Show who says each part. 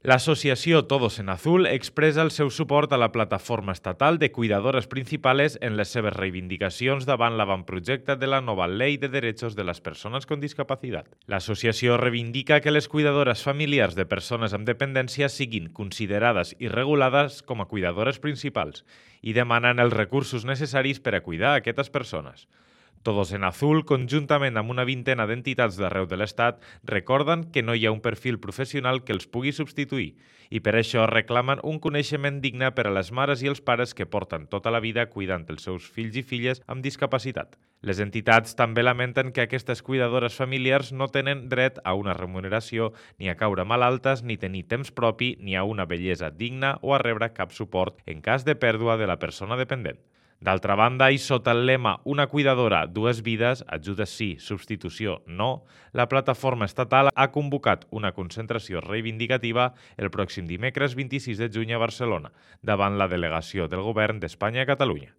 Speaker 1: L'associació Todos en Azul expressa el seu suport a la plataforma estatal de cuidadores principales en les seves reivindicacions davant l'avantprojecte de la nova Ley de Derechos de les Persones con Discapacitat. L'associació reivindica que les cuidadores familiars de persones amb dependència siguin considerades i regulades com a cuidadores principals i demanen els recursos necessaris per a cuidar aquestes persones. Todos en Azul, conjuntament amb una vintena d'entitats d'arreu de l'Estat, recorden que no hi ha un perfil professional que els pugui substituir i per això reclamen un coneixement digne per a les mares i els pares que porten tota la vida cuidant els seus fills i filles amb discapacitat. Les entitats també lamenten que aquestes cuidadores familiars no tenen dret a una remuneració, ni a caure malaltes, ni tenir temps propi, ni a una bellesa digna o a rebre cap suport en cas de pèrdua de la persona dependent. D'altra banda, i sota el lema Una cuidadora, dues vides, ajudes sí, substitució no, la plataforma estatal ha convocat una concentració reivindicativa el pròxim dimecres 26 de juny a Barcelona, davant la delegació del Govern d'Espanya a Catalunya.